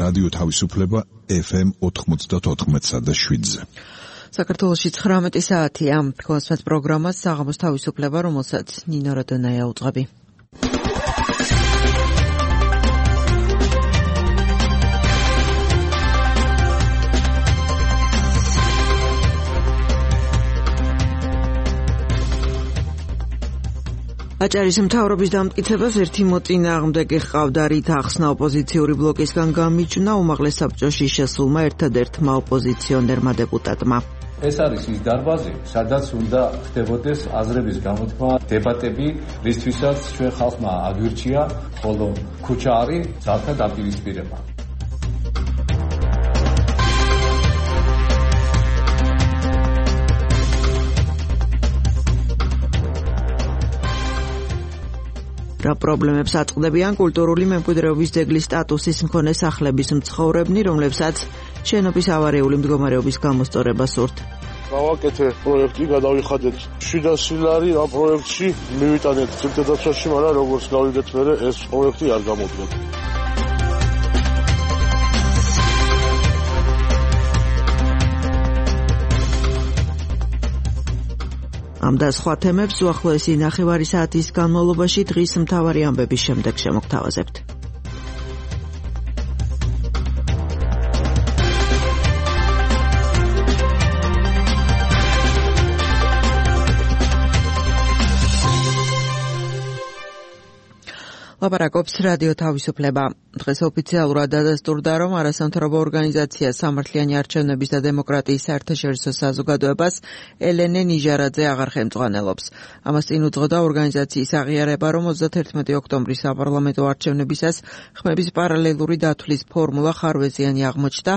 რადიო თავისუფლება FM 94.7-ზე. საქართველოში 19 საათია. გასვათ პროგრამას საღამოს თავისუფლება, რომელსაც ნინო როდონაია უძღვები. აჭარის მთავრობის დამტკიცებას ერთი მოწინააღმდეგე ჰყავდა, რით ახსნა ოპოზიციური ბლოკისგან გამიჯვნა უმაღლეს საბჭოში შესულმა ერთადერთმა ოპოზიციონერმა დეპუტატმა. ეს არის ის დარბაზი, სადაც უნდა ხდებოდეს აზრების გამოთქმა, დებატები, რისთვისაც ჩვენ ხალხმა აგვირჩია, ხოლო ქუჩა არის ძალთა დაპირისპირება. რა პრობლემებს აწყდებიან კულტურული მემკვიდრეობის ძეგლის სტატუსის მქონე სახლების მცხოვრებნი, რომლებსაც შენობის ავარიული მდგომარეობის გამოსწორება სურთ. გავაკეთე პროექტი, გადავიხადეთ 700 ლარი ამ პროექტში, მივიტანეთ წელდადაცვაში, მაგრამ როგორც გავიგეთ მერე ეს პროექტი არ გამოდგა. ამ და სხვა თემებს უახლოესი ნახევარი საათის განმავლობაში დღის მთავარი ამბების შემდეგ შემოგთავაზებთ. ლაპარაკობს რადიო თავისუფლება. დღეს ოფიციალურად დადასტურდა, რომ არასამთავრობო ორგანიზაცია სამართლიანი არჩევნების და დემოკრატიის საერთაშორისო საზოგადოებას ელენე ნიჟარაძე აღარ ხელმძღვანელობს. ამას წინ უძღოდა ორგანიზაციის აღიარება, რომ 31 ოქტომბრის საპარლამენტო არჩევნებისას ხმების პარალელური დათვლის ფორმულა ხარვეზიანი აღმოჩნდა.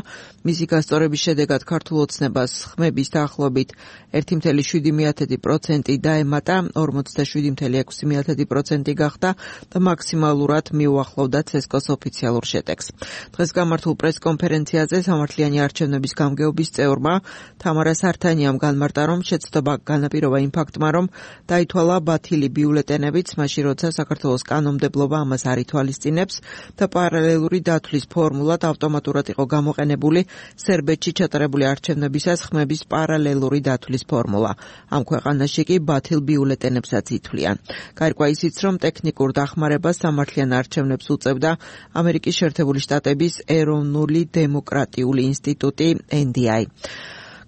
მისი გასწორების შედეგად ქართულ ოცნებას ხმების დაახლოებით 1,7% დაემატა, 47,6% გახდა და მაქსიმალურად მიუახლოვდა ცესკოს ოფიციალურ შედეგს. დღეს გამართულ პრესკონფერენციაზე სამართლიანი არჩევნების გამგეობის წევრმა თამარა სართანიამ განმარტა, რომ შეცდომა განაპირობა იმ ფაქტმა, რომ დაითვალა ბათილი ბიულეტენებიც, მაშინ როცა საქართველოს კანონმდებლობა ამას არ ითვალისწინებს და პარალელური დათვლის ფორმულად ავტომატურად იყო გამოყენებული სერბეთში ჩატარებული არჩევნებისას ხმების პარალელური დათვლის ფორმულა. ამ ქვეყანაში კი ბათილ ბიულეტენებსაც ითვლიან. გაირკვა ისიც, რომ ტექნიკურ დახმარებას სამართლიან არჩევნებს უწევდა ამერიკის შეერთებული შტატების ეროვნული დემოკრატიული ინსტიტუტი NDI.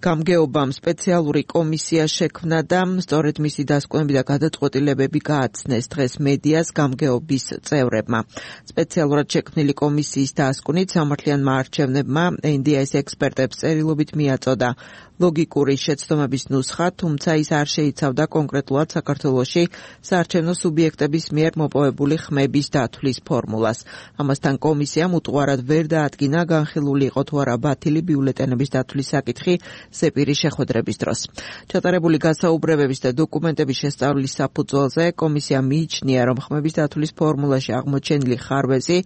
გამგეობამ სპეციალური კომისია შექმნა და სწორედ მისი დასკვნები და გადაწყვეტილებები გააცნეს დღეს მედიას გამგეობის წევრებმა. სპეციალურად შექმნილი კომისიის დასკვნით სამართლიანმა არჩევნებმა NDI-ის ექსპერტებს წერილობით მიაწოდა ლოგიკური შეცდომების ნუსხა, თუმცა ის არ შეიცავდა კონკრეტულად საქართველოში საარჩევნო სუბიექტების მიერ მოპოვებული ხმების დათვლის ფორმულას. ამასთან კომისიამ უტყუარად ვერ დაადგინა განხილული იყო თუ არა ბათილი ბიულეტენების დათვლის საკითხი სეპირის შეხვედრების დროს. ჩატარებული გასაუბრებების და დოკუმენტების შესწავლის საფუძველზე კომისია მიიჩნია, რომ ხმების დათვლის ფორმულაში აღმოჩენილი ხარვეზი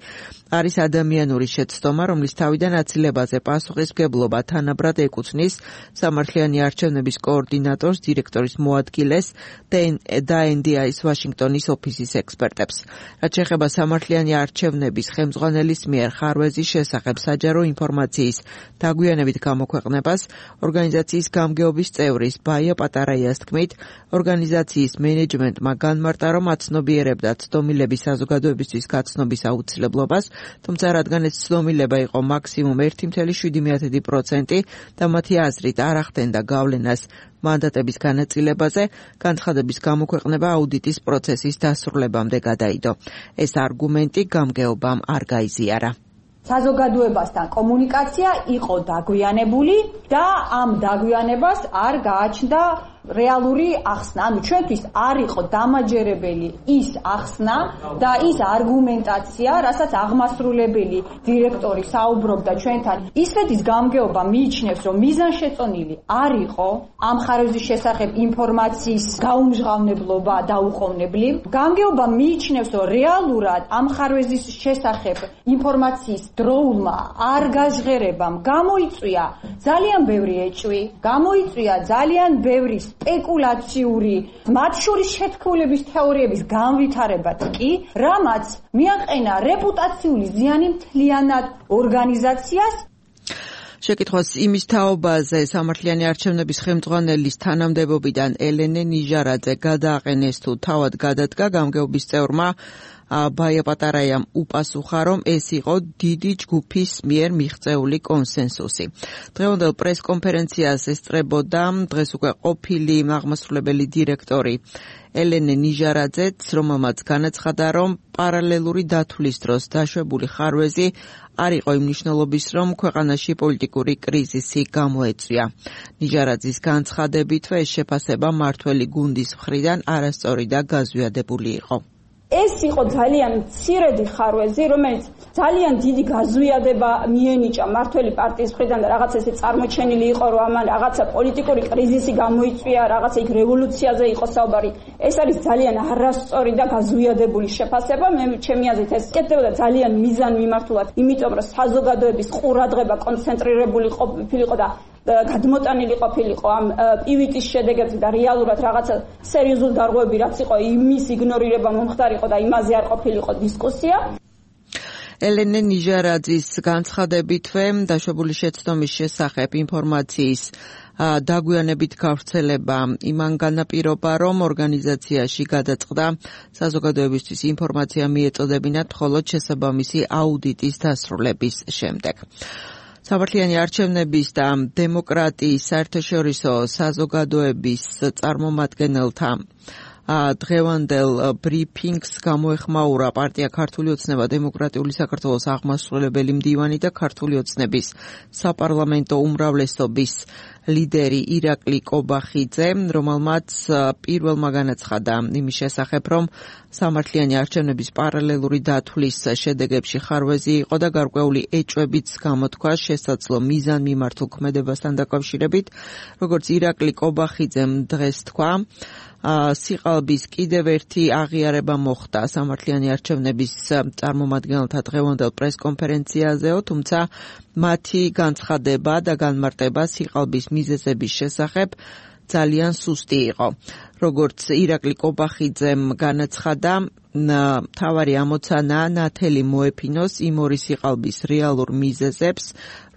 არის ადამიანური შეცდომა, რომლის თავიდან აცილებაზე პასუხისმგებლობა თანაბრად ეკუთვნის სამართლიანი არჩევნების კოორდინატორს, დირექტორის მოადგილეს და NDI-ის ვაშინგტონის ოფისის ექსპერტებს. რაც შეეხება სამართლიანი არჩევნების ხელმძღვანელის მიერ ხარვეზის შესახებ საჯარო ინფორმაციის დაგვიანებით გამოქვეყნებას, ორგანიზაციის გამგეობის წევრის ბაია პატარაიას თქმით, ორგანიზაციის მენეჯმენტმა განმარტა, რომ აცნობიერებდა ცდომილების საზოგადოებისთვის გაცნობის აუცილებლობას, თუმცა რადგან ეს ცდომილება იყო მაქსიმუმ 1,7% და მათი აზრით არ ახდენდა გავლენას მანდატების განაწილებაზე, განცხადების გამოქვეყნება აუდიტის პროცესის დასრულებამდე გადაიდო. ეს არგუმენტი გამგეობამ არ გაიზიარა. საზოგადოებასთან კომუნიკაცია იყო დაგვიანებული და ამ დაგვიანებას არ გააჩნდა რეალური ახსნა. ანუ ჩვენთვის არ იყო დამაჯერებელი ის ახსნა და ის არგუმენტაცია, რასაც აღმასრულებელი დირექტორი საუბრობდა ჩვენთან. ისრეთის გამგეობა მიიჩნევს, რომ მიზანშეწონილი არ იყო ამ ხარვეზის შესახებ ინფორმაციის გაუმჟღავნებლობა და უყოვნებლივ. გამგეობა მიიჩნევს, რომ რეალურად ამ ხარვეზის შესახებ ინფორმაციის დროულმა არ გაჟღერებამ გამოიწვია ძალიან ბევრი ეჭვი, გამოიწვია ძალიან ბევრი სპეკულაციური, მათ შორის შეთქმულების თეორიების განვითარებად კი, რამაც მიაყენა რეპუტაციული ზიანი მთლიანად ორგანიზაციას. შეკითხვას იმის თაობაზე სამართლიანი არჩევნების ხელმძღვანელის თანამდებობიდან ელენე ნიჟარაძე გადააყენეს თუ თავად გადადგა, გამგეობის წევრმა ბაია პატარაიამ უპასუხა, რომ ეს იყო დიდი ჯგუფის მიერ მიღწეული კონსენსუსი. დღევანდელ პრესკონფერენციას ესწრებოდა დღეს უკვე ყოფილი აღმასრულებელი დირექტორი ელენე ნიჟარაძეც, რომელმაც განაცხადა, რომ პარალელური დათვლის დროს დაშვებული ხარვეზი არ იყო იმ მნიშვნელობის, რომ ქვეყანაში პოლიტიკური კრიზისი გამოეწვია. ნიჟარაძის განცხადებითვე ეს შეფასება მმართველი გუნდის მხრიდან არასწორი და გაზვიადებული იყო. ეს იყო ძალიან მცირედი ხარვეზი, რომელიც ძალიან დიდი გაზვიადება მიენიჭა მმართველი პარტიის მხრიდან და რაღაც ესე წარმოჩენილი იყო, რომ ამან რაღაცა პოლიტიკური კრიზისი გამოიწვია, რაღაცა იქ რევოლუციაზე იყო საუბარი. ეს არის ძალიან არასწორი და გაზვიადებული შეფასება. მე ჩემი აზრით ეს კეთდებოდა ძალიან მიზანმიმართულად, იმიტომ რომ საზოგადოების ყურადღება კონცენტრირებული ყოფილიყო და გადმოტანილი ყოფილიყო ამ პივიტის შედეგებზე და რეალურად რაღაცა სერიოზული გარღვევები რაც იყო, იმის იგნორირება მომხდარიყო და იმაზე არ ყოფილიყო დისკუსია. ელენე ნიჟარაძის განცხადებითვე დაშვებული შეცდომის შესახებ ინფორმაციის დაგვიანებით გავრცელება იმან განაპირობა, რომ ორგანიზაციაში გადაწყდა საზოგადოებისთვის ინფორმაცია მიეწოდებინათ მხოლოდ შესაბამისი აუდიტის დასრულების შემდეგ. სამართლიანი არჩევნების და დემოკრატიის საერთაშორისო საზოგადოების წარმომადგენელთა დღევანდელ ბრიფინგს გამოეხმაურა პარტია ქართული ოცნება, დემოკრატიული საქართველოს აღმასრულებელი მდივანი და ქართული ოცნების საპარლამენტო უმრავლესობის ლიდერი ირაკლი კობახიძე, რომელმაც პირველმა განაცხადა იმის შესახებ, რომ სამართლიანი არჩევნების პარალელური დათვლის შედეგებში ხარვეზი იყო და გარკვეული ეჭვებიც გამოთქვა შესაძლო მიზანმიმართულ ქმედებასთან დაკავშირებით, როგორც ირაკლი კობახიძემ დღეს თქვა. სიყალბის კიდევ ერთი აღიარება მოხდა სამართლიანი არჩევნების წარმომადგენელთა დღევანდელ პრესკონფერენციაზეო, თუმცა მათი განცხადება და განმარტება სიყალბის მიზეზების შესახებ ძალიან სუსტი იყო. როგორც ირაკლი კობახიძემ განაცხადა, მთავარი ამოცანა ნათელი მოეფინოს იმ ორი სიყალბის რეალურ მიზეზებს,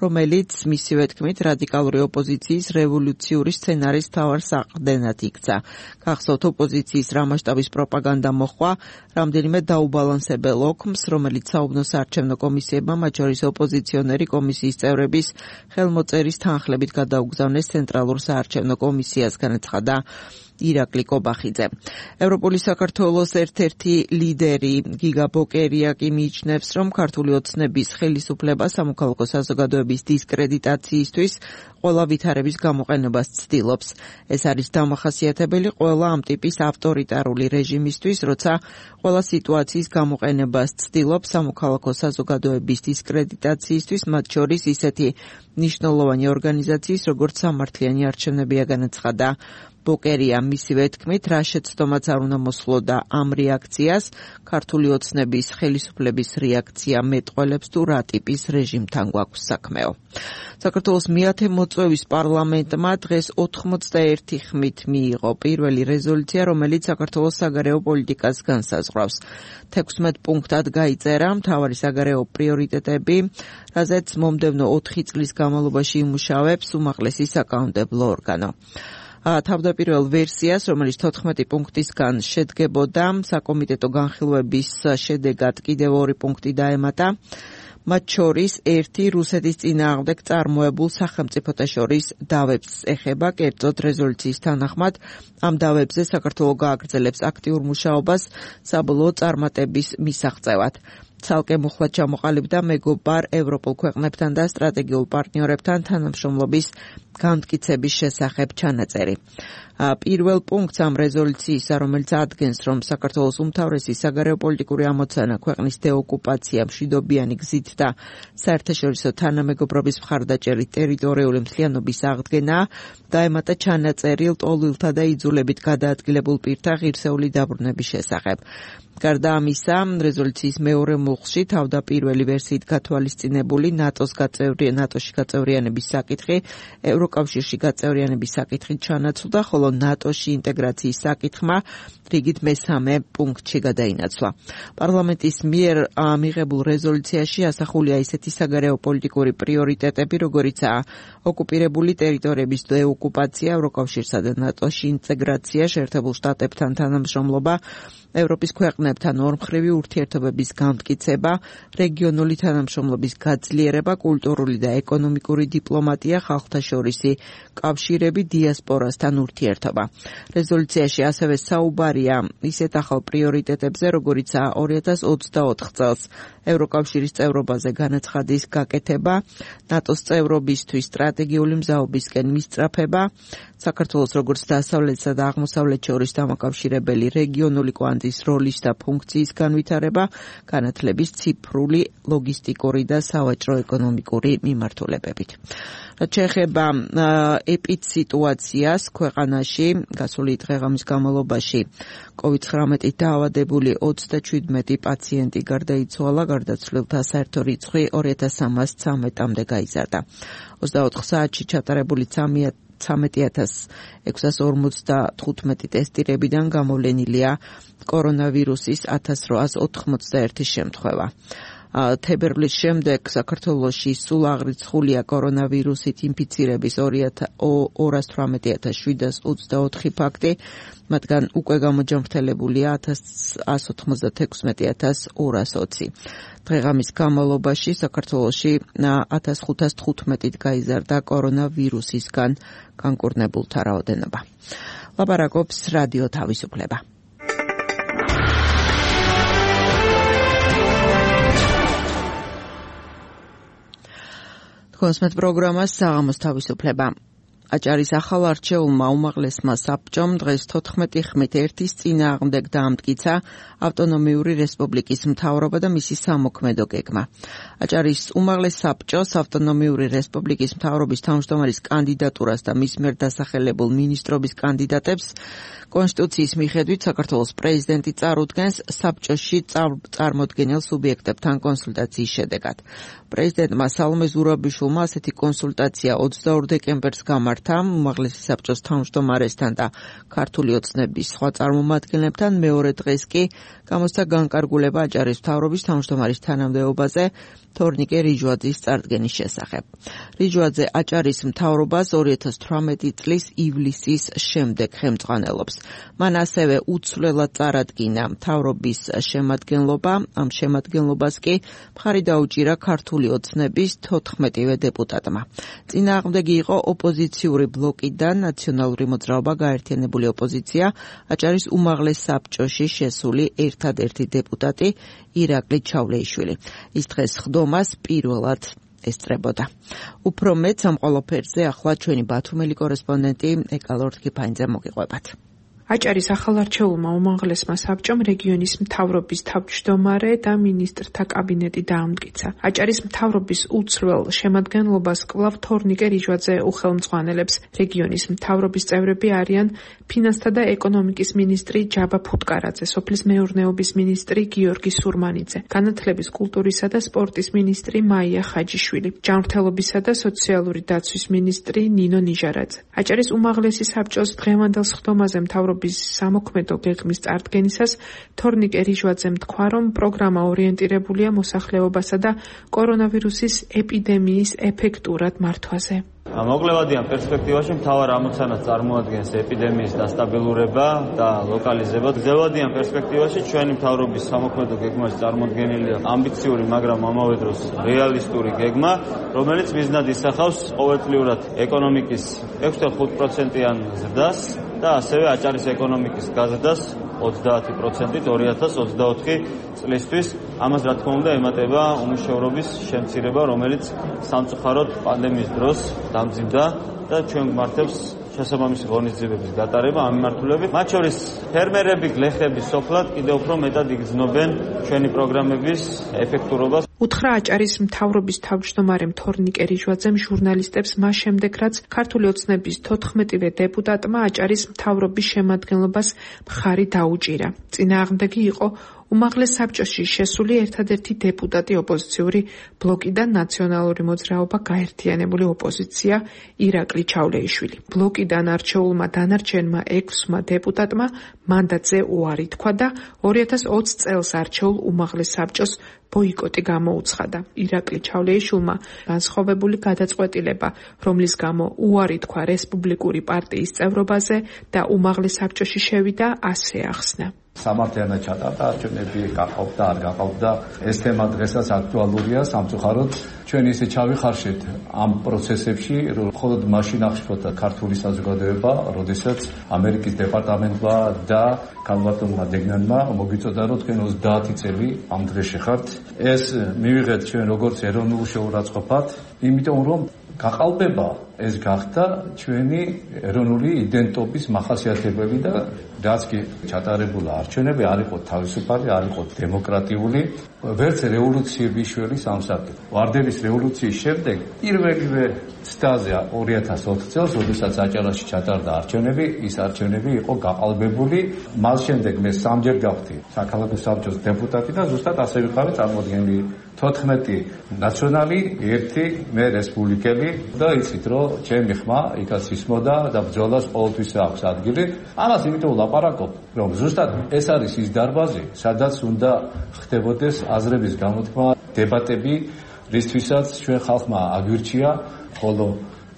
რომელიც მისივე თქმით რადიკალური ოპოზიციის რევოლუციური სცენარის მთავარ საყრდენად იქცა. გახსოვთ, ოპოზიციის რა მასშტაბის პროპაგანდა მოხდა რამდენიმე დაუბალანსებელ ოქმს, რომელიც საუბნო საარჩევნო კომისიებმა, მათ შორის ოპოზიციონერი კომისიის წევრების ხელმოწერის თანხლებით გადაუგზავნეს ცენტრალურ საარჩევნო კომისიას, განაცხადა ირაკლი კობახიძე. ევროპული საქართველოს ერთ-ერთი ლიდერი გიგა ბოკერიაკი მიიჩნევს, რომ ქართული ოცნების ხელისუფლება სამოქალაქო საზოგადოების დისკრედიტაციისთვის ყველა ვითარების გამოყენებას ცდილობს. ეს არის დამახასიათებელი ყველა ამ ტიპის ავტორიტარული რეჟიმისთვის, როცა ყველა სიტუაციის გამოყენებას ცდილობს სამოქალაქო საზოგადოების დისკრედიტაციისთვის, მათ შორის ისეთი მნიშვნელოვანი ორგანიზაციის, როგორც სამართლიანი არჩევნებია, განაცხადა ბოკერია. მისივე თქმით, რა შეცდომაც არ უნდა მოსხლოდა ამ რეაქციას, ქართული ოცნების ხელისუფლების რეაქცია მეტყველებს თუ რა ტიპის რეჟიმთან გვაქვს საქმეო. საქართველოს მეათე მოწვევის პარლამენტმა დღეს 81 ხმით მიიღო პირველი რეზოლუცია, რომელიც საქართველოს საგარეო პოლიტიკას განსაზღვრავს. 16 პუნქტად გაიწერა მთავარი საგარეო პრიორიტეტები, რაზეც მომდევნო 4 წლის განმავლობაში იმუშავებს უმაღლესი საკანონმდებლო ორგანო. თავდაპირველ ვერსიას, რომელიც 14 პუნქტისგან შედგებოდა, საკომიტეტო განხილვების შედეგად კიდევ 2 პუნქტი დაემატა. მათ შორის ერთი რუსეთის წინააღმდეგ წარმოებულ სახელმწიფოთა შორის დავებს ეხება, კერძოდ რეზოლუციის თანახმად ამ დავებზე საქართველო გააგრძელებს აქტიურ მუშაობას საბოლოო წარმატების მისაღწევად. ცალკე მუხლად ჩამოყალიბდა მეგობარ ევროპულ ქვეყნებთან და სტრატეგიულ პარტნიორებთან თანამშრომლობის განმტკიცების შესახებ ჩანაწერი. პირველ პუნქტს ამ რეზოლუციისა, რომელიც ადგენს, რომ საქართველოს უმთავრესი საგარეო პოლიტიკური ამოცანა ქვეყნის დეოკუპაცია მშვიდობიანი გზით და საერთაშორისო თანამეგობრობის მხარდაჭერით ტერიტორიული მთლიანობის აღდგენა, დაემატა ჩანაწერი ლტოლვილთა და იძულებით გადაადგილებულ პირთა ღირსეული დაბრუნების შესახებ. გარდა ამისა, რეზოლუციის მეორე ხმულხში თავდაპირველი ვერსიით გათვალისწინებული ნატოში გაწევრიანების საკითხი ევროკავშირში გაწევრიანების საკითხით ჩანაცვლდა, ხოლო ნატოში ინტეგრაციის საკითხმა რიგით მესამე პუნქტში გადაინაცვლა. პარლამენტის მიერ მიღებულ რეზოლუციაში ასახულია ისეთი საგარეო პოლიტიკური პრიორიტეტები, როგორიცაა ოკუპირებული ტერიტორიების დეოკუპაცია, ევროკავშირსა და ნატოში ინტეგრაცია, შეერთებულ შტატებთან თანამშრომლობა, ევროპის ქვეყნებთან ორმხრივი ურთიერთობების გამტკიცება, რეგიონული თანამშრომლობის გაძლიერება, კულტურული და ეკონომიკური დიპლომატია, ხალხთა შორისი კავშირები, დიასპორასთან ურთიერთობა. რეზოლუციაში ასევე საუბარია ისეთ ახალ პრიორიტეტებზე, როგორიცაა 2024 წელს ევროკავშირის წევრობაზე განაცხადის გაკეთება, ნატოს წევრობისთვის სტრატეგიული მზაობისკენ მისწრაფება, საქართველოს როგორც დასავლეთსა და აღმოსავლეთ შორის დამაკავშირებელი რეგიონული კვანძის როლის და ფუნქციის განვითარება, განათლების ციფრული, ლოგისტიკური და სავაჭრო ეკონომიკური მიმართულებებით. რაც შეეხება ეპიდსიტუაციას ქვეყანაში, გასული დღე-ღამის განმავლობაში COVID-19-ით დაავადებული 37 პაციენტი გარდაიცვალა, გარდაცვლილთა საერთო რიცხვი 2313-მდე გაიზარდა. 24 საათში ჩატარებული 13,645 ტესტირებიდან გამოვლენილია კორონავირუსის 1891 შემთხვევა. თებერვლის შემდეგ საქართველოში სულ აღრიცხულია კორონავირუსით ინფიცირების 218,724 ფაქტი, მათგან უკვე გამოჯანმრთელებულია 196,220. დღე-ღამის განმავლობაში საქართველოში 1515 გაიზარდა კორონავირუსისგან განკურნებულთა რაოდენობა. ლაპარაკობს რადიო თავისუფლება. კონსმეთ პროგრამას საღამოს თავისუფლება. აჭარის ახალ არჩეულმა უმაღლესმა საბჭომ დღეს 14 ხმით ერთის წინააღმდეგ დაამტკიცა ავტონომიური რესპუბლიკის მთავრობა და მისი სამოქმედო გეგმა. აჭარის უმაღლეს საბჭოს ავტონომიური რესპუბლიკის მთავრობის თავმჯდომარის კანდიდატურას და მის მიერ დასახელებულ მინისტრობის კანდიდატებს კონსტიტუციის მიხედვით საქართველოს პრეზიდენტი წარუდგენს საბჭოში წარმოდგენილ სუბიექტებთან კონსულტაციის შედეგად. პრეზიდენტმა სალომე ზურაბიშვილმა ასეთი კონსულტაცია 22 დეკემბერს გამართა უმაღლესი საბჭოს თავმჯდომარესთან და ქართული ოცნების სხვა წარმომადგენლებთან. მეორე დღეს კი გამოსცა განკარგულება აჭარის მთავრობის თავმჯდომარის თანამდებობაზე თორნიკე რიჯვაძის წარდგენის შესახებ. რიჯვაძე აჭარის მთავრობას 2018 წლის ივლისის შემდეგ ხელმძღვანელობს. მან ასევე უცვლელად წარადგინა მთავრობის შემადგენლობა. ამ შემადგენლობას კი მხარი დაუჭირა ქართული ოცნების 14-ვე დეპუტატმა. წინააღმდეგი იყო ოპოზიციური ბლოკიდან ნაციონალური მოძრაობა გაერთიანებული ოპოზიცია, აჭარის უმაღლეს საბჭოში შესული ერთადერთი დეპუტატი ირაკლი ჩავლეიშვილი. ის დღეს ხდომას პირველად ესწრებოდა. უფრო მეტ ამ ყველაფერზე ახლა ჩვენი ბათუმელი კორესპონდენტი ეკალორდ კიფაინძე მოგიყვებათ. აჭარის ახალარჩეულმა უმაღლესმა საბჭომ რეგიონის მთავრობის თავმჯდომარე და მინისტრთა კაბინეტი დაამტკიცა. აჭარის მთავრობის უცვლელ შემადგენლობას კვლავ თორნიკე რიჯვაძე უხელმძღვანელებს. რეგიონის მთავრობის წევრები არიან ფინანსთა და ეკონომიკის მინისტრი ჯაბა ფუტკარაძე, სოფლის მეურნეობის მინისტრი გიორგი სურმანიძე, განათლების, კულტურისა და სპორტის მინისტრი მაია ხაჯიშვილი, ჯანმრთელობისა და სოციალური დაცვის მინისტრი ნინო ნიჟარაძე. აჭარის უმაღლესი საბჭოს დღევანდელ სხდომაზე მთავრობის სამოქმედო გეგმის წარდგენისას თორნიკე რიჯვაძემ თქვა, რომ პროგრამა ორიენტირებულია მოსახლეობასა და კორონავირუსის ეპიდემიის ეფექტურად მართვაზე. მოკლევადიან პერსპექტივაში მთავარ ამოცანას წარმოადგენს ეპიდემიის დასტაბილურება და ლოკალიზება. გრძელვადიან პერსპექტივაში ჩვენი მთავრობის სამოქმედო გეგმაში წარმოდგენილია ამბიციური, მაგრამ ამავე დროს რეალისტური გეგმა, რომელიც მიზნად ისახავს ყოველწლიურად ეკონომიკის 6.5%-იან ზრდას და ასევე აჭარის ეკონომიკის გაზრდას 30%-ით 2024 წლისთვის. ამას რა თქმა უნდა ემატება უმუშევრობის შემცირება, რომელიც სამწუხაროდ პანდემიის დროს დამძიმდა და ჩვენ გვმართებს შესაბამისი ღონისძიებების გატარება ამ მიმართულებით. მათ შორის ფერმერები, გლეხები სოფლად კიდევ უფრო მეტად იგრძნობენ ჩვენი პროგრამების ეფექტურობას. უთხრა აჭარის მთავრობის თავმჯდომარემ თორნიკე რიჯვაძემ ჟურნალისტებს მას შემდეგ, რაც ქართული ოცნების 14-ვე დეპუტატმა აჭარის მთავრობის შემადგენლობას მხარი დაუჭირა. წინააღმდეგი იყო უმაღლეს საბჭოში შესული ერთადერთი დეპუტატი ოპოზიციური ბლოკიდან ნაციონალური მოძრაობა გაერთიანებული ოპოზიცია ირაკლი ჩავლეიშვილი. ბლოკიდან არჩეულმა დანარჩენმა 6-მა დეპუტატმა მანდატზე უარი თქვა და 2020 წელს არჩეულ უმაღლეს საბჭოს ბოიკოტი გამოუცხადა. ირაკლი ჩავლეიშვილმა განსხვავებული გადაწყვეტილება, რომლის გამო უარი თქვა რესპუბლიკური პარტიის წევრობაზე და უმაღლეს საბჭოში შევიდა, ასე ახსნა. სამართლიანად ჩატარდა არჩევნები, გაყავდა, არ გაყავდა. ეს თემა დღესაც აქტუალურია, სამწუხაროდ ჩვენ ისე ჩავიხარშეთ ამ პროცესებში, რომ მხოლოდ მაშინ აღშფოთა ქართული საზოგადოება, როდესაც ამერიკის დეპარტამენტმა და ქალბატონმა დეგნანმა მოგიწოდა, რომ თქვენ 30 წელი ამ დღეში ხართ. ეს მივიღეთ ჩვენ როგორც ეროვნულ შეურაცხყოფად, იმიტომ რომ გაყალბება ეს გახდა ჩვენი ეროვნული იდენტობის მახასიათებელი და რაც კი ჩატარებულა არჩევნები არ იყო თავისუფალი, არ იყო დემოკრატიული, ვერც რევოლუციების შორის სამსახური. ვარდების რევოლუციის შემდეგ პირველივე ცდაზე 2020 წელს, როდესაც აჭარაში ჩატარდა არჩევნები, ის არჩევნები იყო გაყალბებული. მას შემდეგ მე სამჯერ გავხდი საქალაქო საბჭოს დეპუტატი და ზუსტად ასე ვიყავი წარმოადგენელი 14 ნაციონალი, 1 მე რესპუბლიკელი და იცით რომ ჩემი ხმა იქაც ისმოდა და ბრძოლას ყოველთვის აქვს ადგილი. ამას იმიტომ ლაპარაკობ, რომ ზუსტად ეს არის ის დარბაზი, სადაც უნდა ხდებოდეს აზრების გამოთქმა, დებატები, რისთვისაც ჩვენ ხალხმა აგვირჩია, ხოლო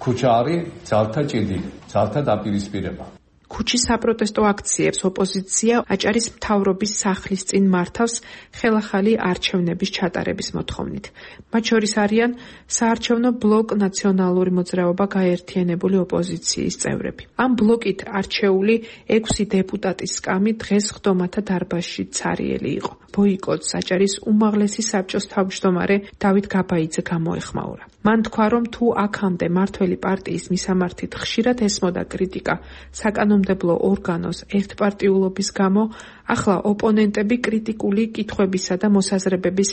ქუჩა არის ძალთა ჭიდი, ძალთა დაპირისპირება. ქუჩის საპროტესტო აქციებს ოპოზიცია აჭარის მთავრობის სახლის წინ მართავს ხელახალი არჩევნების ჩატარების მოთხოვნით. მათ შორის არიან საარჩევნო ბლოკ ნაციონალური მოძრაობა გაერთიანებული ოპოზიციის წევრები. ამ ბლოკით არჩეული 6 დეპუტატის სკამი დღეს ხდომათა დარბაზში ცარიელი იყო. ბოიკოტს აჭარის უმაღლესი საბჭოს თავმჯდომარე დავით გაბაიძე გამოეხმაურა. მან თქვა, რომ თუ აქამდე მართველი პარტიის მისამართით ხშირად ესმოდა კრიტიკა საკანონმდებლო ორგანოს ერთპარტიულობის გამო, ახლა ოპონენტები კრიტიკული კითხვებისა და მოსაზრებების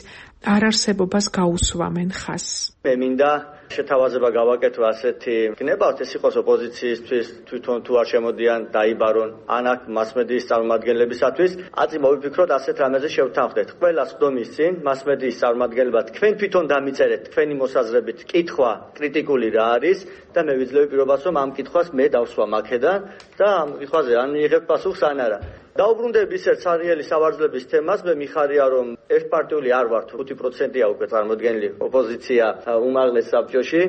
არარსებობას გაუსვამენ ხაზს. მე მინდა შეთავაზება გავაკეთო ასეთი გნებავთ, ეს იყოს ოპოზიციისთვის, თვითონ თუ არ შემოდიან დაიბარონ ან აქ მასმედიის წარმომადგენლებისათვის, აწი მოვიფიქროთ ასეთ რამეზე შევთანხმდეთ. ყველა სხდომის წინ მასმედიის წარმომადგენლება თქვენ თვითონ დამიწერეთ თქვენი მოსაზრებით კითხვა კრიტიკული რა არის და მე ვიძლევი პირობას, რომ ამ კითხვას მე დავსვა აქედან და ამ კითხვაზე ან მიიღებ პასუხს ან არა. დაუბრუნდები ისეთ სარიელი სავარძლების თემას, მე მიხარია რომ ერთპარტიული არ ვართ, 5%-ია უკვე წარმოდგენილი ოპოზიცია უმაღლეს საბჭოში,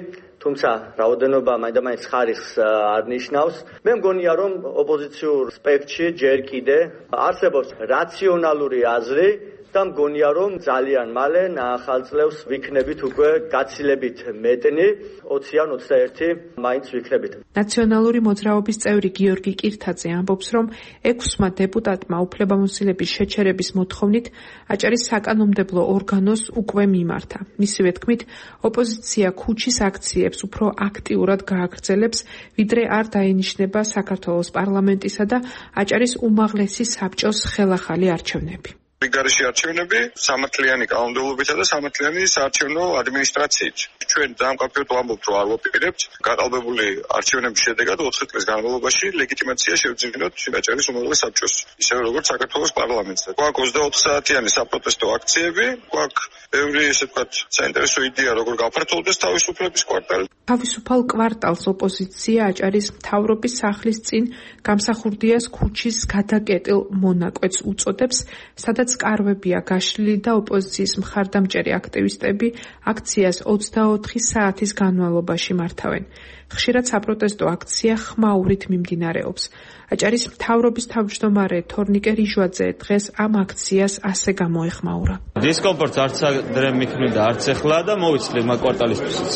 თუმცა რაოდენობა მაინდა-მაინც ხარისხს არ ნიშნავს. მე მგონია რომ ოპოზიციურ სპექტრში ჯერ კიდე არსებობს რაციონალური აზრი და მგონია რომ ძალიან მალე ახალ წლებს ვიქნებით უკვე გაცილებით მეტნი, 20 ან 21 მაინც ვიქნებით. ნაციონალური მოძრაობის წევრი გიორგი კირთაძე ამბობს, რომ 6-მა დეპუტატმა უფლებამოსილების შეჩერების მოთხოვნით აჭარის საკანონმდებლო ორგანოს უკვე მიმართა. მისივე თქმით, ოპოზიცია ქუჩის აქციებს უფრო აქტიურად გააგრძელებს, ვიდრე არ დაინიშნება საქართველოს პარლამენტისა და აჭარის უმაღლესი საბჭოს ხელახალი არჩევნები. გარეშე არჩევნები სამართლიანი კანონმდებლობითა და სამართლიანი საარჩევნო ადმინისტრაციით. ჩვენ დამკავშირებულად ვამბობთ, რომ არ ვაპირებთ გაყალბებული არჩევნების შედეგად 4 წლის განმავლობაში ლეგიტიმაცია შევძინოთ აჭარის უმაღლეს საბჭოს, ისევე როგორც საქართველოს პარლამენტს. გვაქვს 24 საათიანი საპროტესტო აქციები, გვაქვს ბევრი ესე ვთქვათ საინტერესო იდეა, როგორ გაფართოვდეს თავისუფლების კვარტალი. თავისუფალ კვარტალს ოპოზიცია აჭარის მთავრობის სახლის წინ გამსახურდიას ქუჩის გადაკეტილ მონაკვეთს უწოდებს, სადაც კარვებია გაშლილი და ოპოზიციის მხარდამჭერი აქტივისტები აქციას 24 საათის განმავლობაში მართავენ. ხშირად საპროტესტო აქცია ხმაურით მიმდინარეობს. აჭარის მთავრობის თავმჯდომარე თორნიკე რიჟვაძე დღეს ამ აქციას ასე გამოეხმაურა. დისკომფორტს არც ადრე მიქმნიდა, არც ეხლა და მოვიცლი მაგ კვარტალისთვისაც.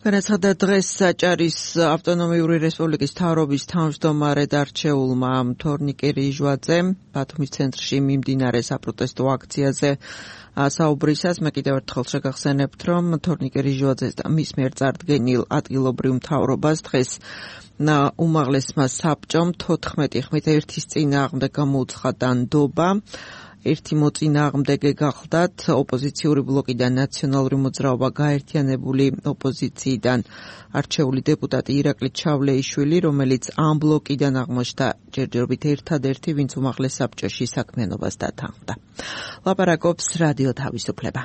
განაცხადა დღეს აჭარის ავტონომიური რესპუბლიკის მთავრობის თავმჯდომარედ არჩეულმა თორნიკე რიჟვაძემ ბათუმის ცენტრში მიმდინარე საპროტესტო აქციაზე საუბრისას მე კიდევ ერთხელ შეგახსენებთ, რომ თორნიკე რიჟვაძეს და მის მიერ წარდგენილ ადგილობრივ მთავრობას დღეს უმაღლესმა საბჭომ 14 ხმით ერთის წინააღმდეგ გამოუცხადა ნდობა. ერთი მოწინააღმდეგე გახლდათ ოპოზიციური ბლოკი და ნაციონალური მოძრაობა გაერთიანებული ოპოზიციიდან არჩეული დეპუტატი ირაკლი ჩავლეიშვილი, რომელიც ამ ბლოკიდან აღმოჩნდა ჯერჯერობით ერთადერთი, ვინც უმაღლეს საბჭოში საქმიანობას დათანხმდა. ლაპარაკობს რადიო თავისუფლება.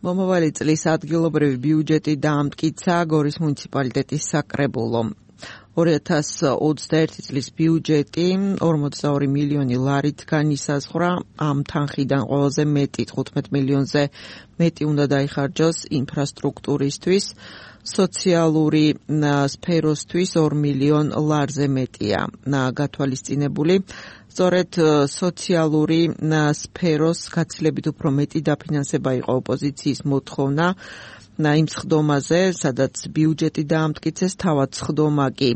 მომავალი წლის ადგილობრივი ბიუჯეტი დაამტკიცა გორის მუნიციპალიტეტის საკრებულომ. 2021 წლის ბიუჯეტი 42 მილიონი ლარით განისაზღვრა. ამ თანხიდან ყველაზე მეტი 15 მილიონზე მეტი უნდა დაიხარჯოს ინფრასტრუქტურისთვის, სოციალური სფეროსთვის 2 მილიონ ლარზე მეტია გათვალისწინებული. სწორედ სოციალური სფეროს გაცილებით უფრო მეტი დაფინანსება იყო ოპოზიციის მოთხოვნა იმ სხდომაზე, სადაც ბიუჯეტი დაამტკიცეს, თავად სხდომა კი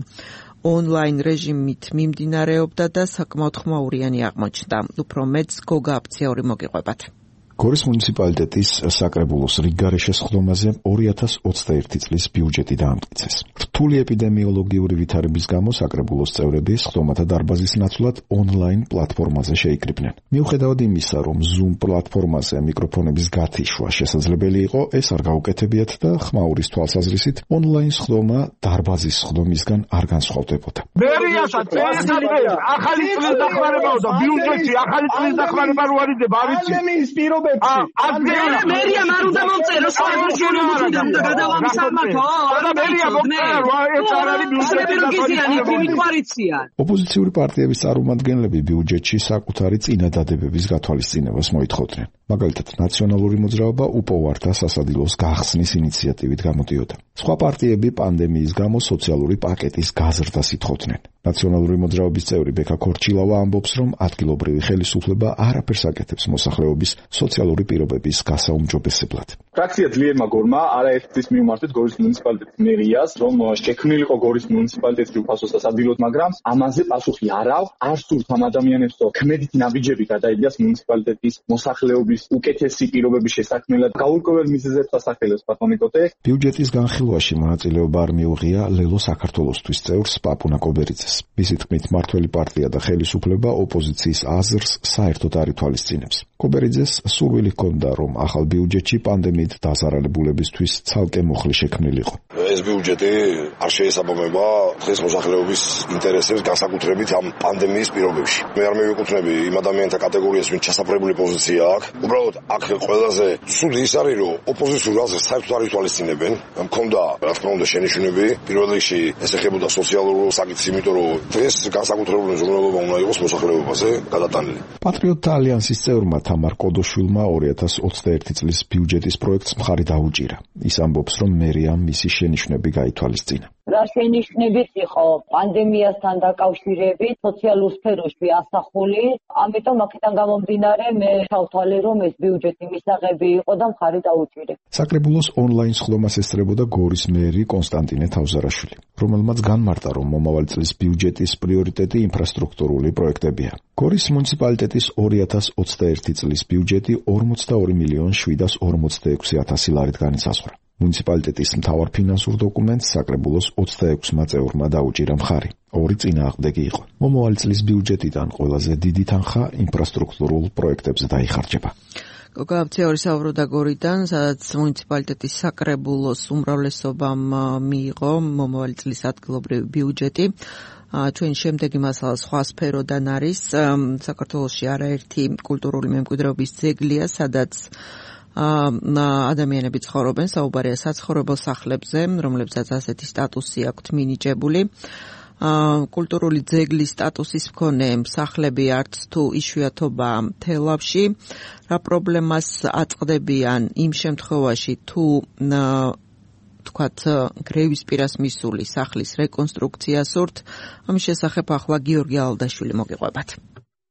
ონლაინ რეჟიმით მიმდინარეობდა და საკმაოდ ხმაურიანი აღმოჩნდა. უფრო მეტს გოგა აფციაური მოგიყვებათ. გორის მუნიციპალიტეტის საკრებულოს რიგგარეშე სხდომაზე 2021 წლის ბიუჯეტი დაამტკიცეს. რთული ეპიდემიოლოგიური ვითარების გამო საკრებულოს წევრები სხდომათა დარბაზის ნაცვლად ონლაინ პლატფორმაზე შეიკრიბნენ. მიუხედავად იმისა, რომ Zoom პლატფორმაზე მიკროფონების გათიშვა შესაძლებელი იყო, ეს არ გაუკეთებიათ და ხმაურის თვალსაზრისით ონლაინ სხდომა დარბაზის სხდომისგან არ განსხვავდებოდა. მერიასაც ახალი წლის დახმარებაა და ბიუჯეტი ახალი წლის დახმარება რო არიდება, ავიცი. მერია არ უნდა მომწეროს საერთაშორისო მუზეუმიდან და გადავამის სამართო. და მერია მომწერა, ეს არ არის ბიუჯეტი. ოპოზიციური პარტიების წარმომადგენლები ბიუჯეტში საკუთარი წინადადებების გათვალისწინებას მოითხოვდნენ. მაგალითად, ნაციონალური მოძრაობა უპოვართა სასადილოს გახსნის ინიციატივით გამოდიოდა. სხვა პარტიები პანდემიის გამო სოციალური პაკეტის გაზრდას ითხოვდნენ. ნაციონალური მოძრაობის წევრი ბექა ქორჩილავა ამბობს, რომ ადგილობრივი ხელისუფლება არაფერს აკეთებს მოსახლეობის სოციალური პირობების გასაუმჯობესებლად. ფრაქცია ძლიერ მაგორმა არაერთის მიმართეთ გორის მუნიციპალიტეტის მერიას, რომ შექმნილიყო გორის მუნიციპალიტეტში უფასო სასადილოდ, მაგრამ ამაზე პასუხი არ აქვს. არ სურთ ამ ადამიანებს, რომ ქმედითი ნაბიჯები გადაიდიას მუნიციპალიტეტის მოსახლეობის უკეთესი პირობების შესაქმნელად. გაურკვეველ მიზეზებს ასახელებს პატონიკოტე. ბიუჯეტის განხილვაში მონაწილეობა არ მიუღია ლელო საქართველოსთვის წევრს პაპუნა კობერიძეს. მისი თქმით, მართველი პარტია და ხელისუფლება ოპოზიციის აზრს საერთოდ არ ითვალისწინებს. კობერიძეს სურვილი ჰქონდა, რომ ახალ ბიუჯეტში პანდემიით დაზარალებულებისთვის ცალკე მუხლი შექმნილიყო. ეს ბიუჯეტი არ შეესაბამება დღეს მოსახლეობის ინტერესებს განსაკუთრებით ამ პანდემიის პირობებში. მე არ მივიკუთვნები იმ ადამიანთა კატეგორიას, ვინც ჩასაფრებული პოზიცია აქვს. უბრალოდ აქ ყველაზე ცუდი ის არის, რომ ოპოზიციურ აზრს საერთოდ არ ითვალისწინებენ. მქონდა, რა თქმა უნდა, შენიშვნები. პირველ რიგში ეს ეხებოდა სოციალურ საკითხს, იმიტომ რომ დღეს განსაკუთრებული ზრუნველობა უნდა იყოს მოსახლეობაზე გადატანილი. პატრიოტთა ალიანსის წევრმა თამარ კოდოშვილმა 2021 წლის ბიუჯეტის პროექტს მხარი დაუჭირა. ის ამბობს, რომ მერიამ მისი შენიშვნები გაითვალისწინა. რა შენიშვნებიც იყო პანდემიასთან დაკავშირებით სოციალურ სფეროში ასახული, ამიტომ აქედან გამომდინარე მე ჩავთვალე, რომ ეს ბიუჯეტი მისაღები იყო და მხარი დაუჭირე. საკრებულოს ონლაინ სხდომას ესწრებოდა გორის მერი კონსტანტინე თავზარაშვილი, რომელმაც განმარტა, რომ მომავალი წლის ბიუჯეტის პრიორიტეტი ინფრასტრუქტურული პროექტებია. გორის მუნიციპალიტეტის 2021 წლის ბიუჯეტი 42 მილიონ 746,000 ლარით განისაზღვრა. მუნიციპალიტეტის მთავარ ფინანსურ დოკუმენტს საკრებულოს 26-მა წევრმა დაუჭირა მხარი. ორი წინააღმდეგი იყო. მომავალი წლის ბიუჯეტიდან ყველაზე დიდი თანხა ინფრასტრუქტურულ პროექტებზე დაიხარჯება. გოგა აფციაური საუბრობდა გორიდან, სადაც მუნიციპალიტეტის საკრებულოს უმრავლესობამ მიიღო მომავალი წლის ადგილობრივი ბიუჯეტი. ჩვენ შემდეგი მასალა სხვა სფეროდან არის. საქართველოში არაერთი კულტურული მემკვიდრეობის ძეგლია, სადაც ადამიანები ცხოვრობენ, საუბარია საცხოვრებელ სახლებზე, რომლებსაც ასეთი სტატუსი აქვთ მინიჭებული. კულტურული ძეგლის სტატუსის მქონე სახლები არც თუ იშვიათობა თელავში. რა პრობლემას აწყდებიან იმ შემთხვევაში, თუ თქვათ გრევის პირას მისული სახლის რეკონსტრუქცია სურთ. ამის შესახებ ახლა გიორგი ალდაშვილი მოგიყვებათ.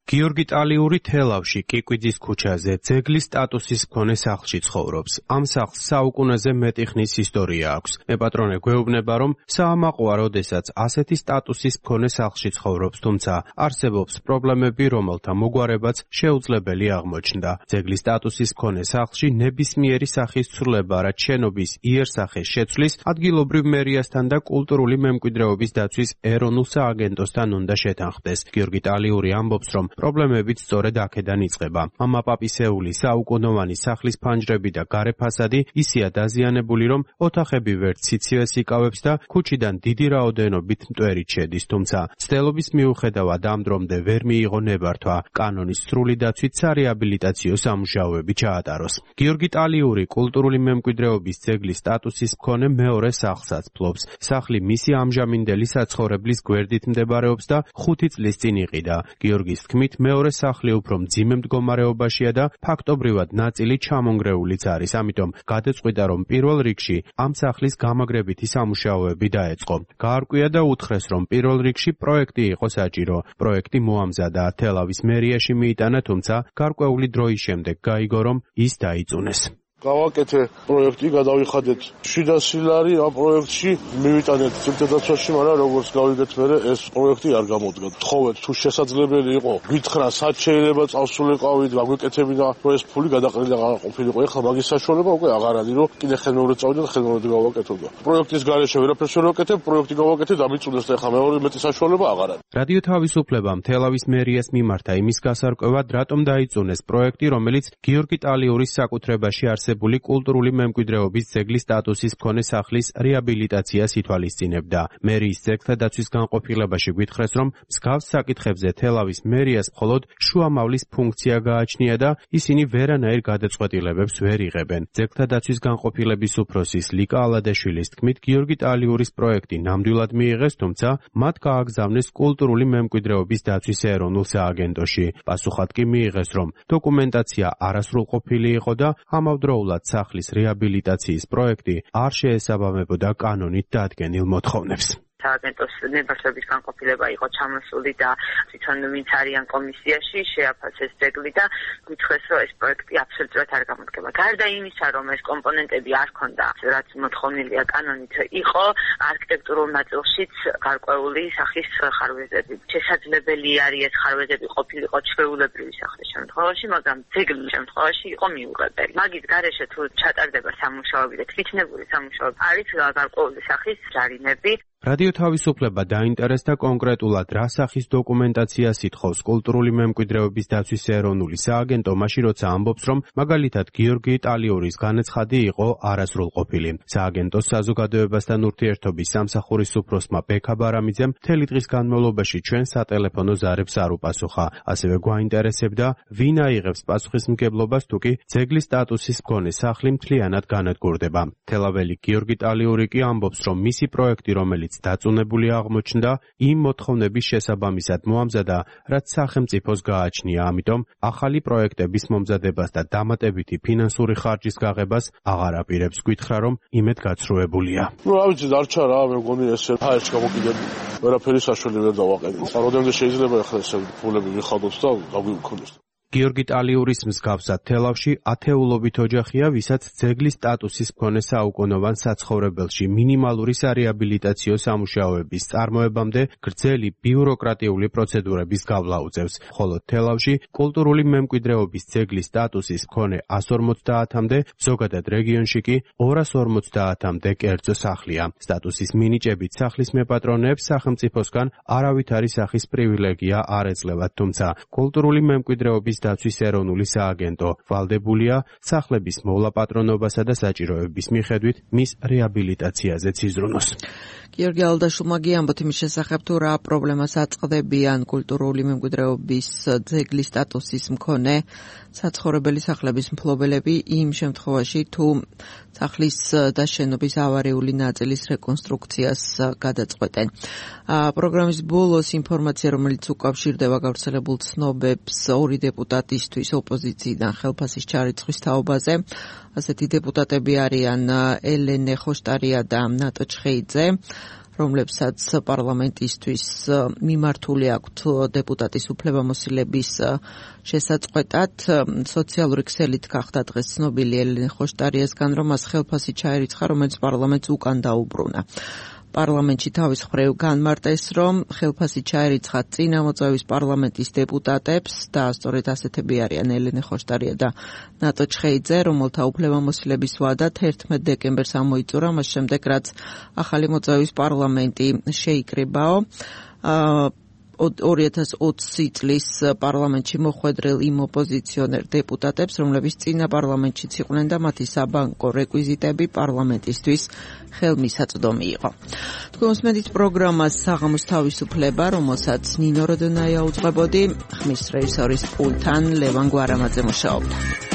გიორგი ტალიური თელავში კიკვიძის ქუჩაზე ძეგლის სტატუსის მქონე სახლში ცხოვრობს. ამ სახლს საუკუნეზე მეტი ხნის ისტორია აქვს. მეპატრონე გვეუბნება, რომ საამაყოა, როდესაც ასეთი სტატუსის მქონე სახლში ცხოვრობს, თუმცა არსებობს პრობლემები, რომელთა მოგვარებაც შეუძლებელი აღმოჩნდა. ძეგლის სტატუსის მქონე სახლში ნებისმიერი სახის ცვლილება, რაც შენობის იერსახეს შეცვლის, ადგილობრივ მერიასთან და კულტურული მემკვიდრეობის დაცვის ეროვნულ სააგენტოსთან უნდა შეთანხმდეს. გიორგი ტალიური ამბობს, რომ პრობლემებიც სწორედ აქედან იწყება. მამაპაპისეული საუკუნოვანი სახლის ფანჯრები და გარე ფასადი ისეა დაზიანებული, რომ ოთახები ვერც სიცივეს იკავებს და ქუჩიდან დიდი რაოდენობით მტვერით შედის, თუმცა ცდელობის მიუხედავად ამ დრომდე ვერ მიიღო ნებართვა კანონის სრული დაცვით სარეაბილიტაციო სამუშაოები ჩაატაროს. გიორგი ტალიური კულტურული მემკვიდრეობის ძეგლის სტატუსის მქონე მეორე სახლსაც ფლობს. სახლი მისი ამჟამინდელი საცხოვრებლის გვერდით მდებარეობს და 5 წლის წინ იყიდა. გიორგის თქმით, მეორე სახლი უფრო მძიმე მდგომარეობაშია და ფაქტობრივად ნაწილი ჩამონგრეულიც არის. ამიტომ გადაწყვიტა, რომ პირველ რიგში ამ სახლის გამაგრებითი სამუშაოები დაეწყო. გაარკვია და უთხრეს, რომ პირველ რიგში პროექტი იყო საჭირო. პროექტი მოამზადა, თელავის მერიაში მიიტანა, თუმცა გარკვეული დროის შემდეგ გაიგო, რომ ის დაიწუნეს. გავაკეთე პროექტი, გადავიხადეთ შიდა სილარი ამ პროექტში, მივიტანეთ ძეგლდაცვაში, მაგრამ როგორც გავიგეთ მერე ეს პროექტი არ გამოდგა. თხოვეთ თუ შესაძლებელი იყო, გითხრა სად შეიძლება წავსულიყავით, გაგვეკეთებინა, რომ ეს ფული გადაყრილი აღარ ყოფილიყო. ეხლა მაგის საშუალება უკვე აღარ არის, რომ კიდე ხელმეორედ წავიდე და ხელმეორედ გავაკეთო. პროექტის გარეშე ვერაფერს ვერ ვაკეთებ, პროექტი გავაკეთე და მიწუნდეს და ეხლა მეორე მეტი საშუალება აღარ არის. რადიო თავისუფლებამ თელავის მერიას მიმართა იმის გასარკვევად, რატომ დაიწუნეს პროექტი, რომელიც გიორგი ტალიურის საკუთრებაში არსებული კულტურული მემკვიდრეობის ძეგლის სტატუსის მქონე სახლის რეაბილიტაციას ითვალისწინებდა. მერიის ძეგლთა დაცვის განყოფილებაში გვითხრეს, რომ მსგავს საკითხებზე თელავის მერიას მხოლოდ შუამავლის ფუნქცია გააჩნია და ისინი ვერანაირ გადაწყვეტილებებს ვერ იღებენ. ძეგლთა დაცვის განყოფილების უფროსის ლიკა ალადაშვილის თქმით, გიორგი ტალიურის პროექტი ნამდვილად მიიღეს, თუმცა მათ გააგზავნეს კულტურული მემკვიდრეობის დაცვის ეროვნულ სააგენტოში. პასუხად კი მიიღეს, რომ დოკუმენტაცია არასრულყოფილი იყო და ამავდროულად სახლის რეაბილიტაციის პროექტი არ შეესაბამებოდა კანონით დადგენილ მოთხოვნებს. სააგენტოს ნებართვების განყოფილება იყო ჩამოსული და თვითონ ვინც არიან კომისიაში შეაფასეს ძეგლი და გითხრეს, რომ ეს პროექტი აბსოლუტურად არ გამოდგება. გარდა იმისა, რომ ეს კომპონენტები არ ქონდა, რაც მოთხოვნილია კანონით, იყო არქიტექტურულ ნაწილშიც გარკვეული სახის ხარვეზები. შესაძლებელი არის ეს ხარვეზები ყოფილიყო ჩვეულებრივი სახლის შემთხვევაში, მაგრამ ძეგლის შემთხვევაში იყო მიუღებელი. მაგის გარეშე თუ ჩატარდება სამუშაოები და თვითნებური სამუშაოები, არის გარკვეული სახის ჯარიმები. რადიო თავისუფლება დაინტერესდა კონკრეტულად რა სახის დოკუმენტაციას ითხოვს კულტურული მემკვიდრეობის დაცვის ეროვნული სააგენტო, მაშინ როცა ამბობს, რომ მაგალითად გიორგი ტალიურის განაცხადი იყო არასრულყოფილი. სააგენტოს საზოგადოებასთან ურთიერთობის სამსახურის უფროსმა ბექა ბარამიძემ მთელი დღის განმავლობაში ჩვენ სატელეფონო ზარებს არ უპასუხა. ასევე გვაინტერესებდა, ვინ აიღებს პასუხისმგებლობას თუ კი ძეგლის სტატუსის მქონე სახლი მთლიანად განადგურდება. თელაველი გიორგი ტალიური კი ამბობს, რომ მისი პროექტი, რომელიც დაწუნებული აღმოჩნდა, იმ მოთხოვნების შესაბამისად მოამზადა, რაც სახელმწიფოს გააჩნია, ამიტომ ახალი პროექტების მომზადებას და დამატებითი ფინანსური ხარჯის გაღებას აღარ აპირებს. გითხრა, რომ იმედგაცრუებულია. რა ვიცი, დარჩა რა, მე მგონი ესე ფაერს გამოკიდები. ვერაფერი საშუალება ვერ დავაყენე. როდემდე შეიძლება ახლა ესე ფულები ვიხადოთ და გაგვიქონდეს. გიორგი ტალიურის მსგავსად თელავში ათეულობით ოჯახია, ვისაც ძეგლის სტატუსის მქონე საუკუნოვან საცხოვრებელში მინიმალური სარეაბილიტაციო სამუშაოების წარმოებამდე გრძელი ბიუროკრატიული პროცედურების გავლა უწევს. ხოლო თელავში კულტურული მემკვიდრეობის ძეგლის სტატუსის მქონე 150-მდე, ზოგადად რეგიონში კი 250-მდე კერძო სახლია. სტატუსის მინიჭებით სახლის მეპატრონეებს სახელმწიფოსგან არავითარი სახის პრივილეგია არ ეძლევათ, თუმცა კულტურული მემკვიდრეობის დაცვის ეროვნული სააგენტო ვალდებულია სახლების მოვლა-პატრონობასა და საჭიროების მიხედვით მის რეაბილიტაციაზე იზრუნოს. გიორგი ალდაშვილმა გიამბოთ იმის შესახებ, თუ რა პრობლემას აწყდებიან კულტურული მემკვიდრეობის ძეგლის სტატუსის მქონე საცხოვრებელი სახლების მფლობელები იმ შემთხვევაში, თუ სახლის და შენობის ავარიული ნაწილის რეკონსტრუქციას გადაწყვეტენ. პროგრამის ბოლოს ინფორმაცია, რომელიც უკავშირდება გავრცელებულ ცნობებს ორი დეპუტატისთვის ოპოზიციიდან ხელფასის ჩარიცხვის თაობაზე. ასეთი დეპუტატები არიან ელენე ხოშტარია და ნატო ჩხეიძე. რომლებსაც პარლამენტისთვის მიმართული აქვთ დეპუტატის უფლებამოსილების შესაწყვეტად. სოციალური ქსელით გახდა დღეს ცნობილი ელენე ხოშტარიასგან, რომ მას ხელფასი ჩაერიცხა, რომელიც პარლამენტს უკან დაუბრუნა. პარლამენტში თავის მხრივ განმარტეს, რომ ხელფასი ჩაერიცხა წინა მოწვევის პარლამენტის დეპუტატებს და სწორედ ასეთები არიან ელენე ხოშტარია და ნატო ჩხეიძე, რომელთა უფლებამოსილების ვადა 11 დეკემბერს ამოიწურა, მას შემდეგ რაც ახალი მოწვევის პარლამენტი შეიკრიბაო. 2020 წლის პარლამენტში მოხვედრილ იმ ოპოზიციონერ დეპუტატებს, რომლებიც წინა პარლამენტშიც იყვნენ და მათი საბანკო რეკვიზიტები პარლამენტისთვის ხელმისაწვდომი იყო. თქვენ უსმენთ პროგრამას საღამოს თავისუფლება, რომელსაც ნინო როდონაია უძღვებოდი, ხმის რეჟისორის პულტთან ლევან გვარამაძე მუშაობდა.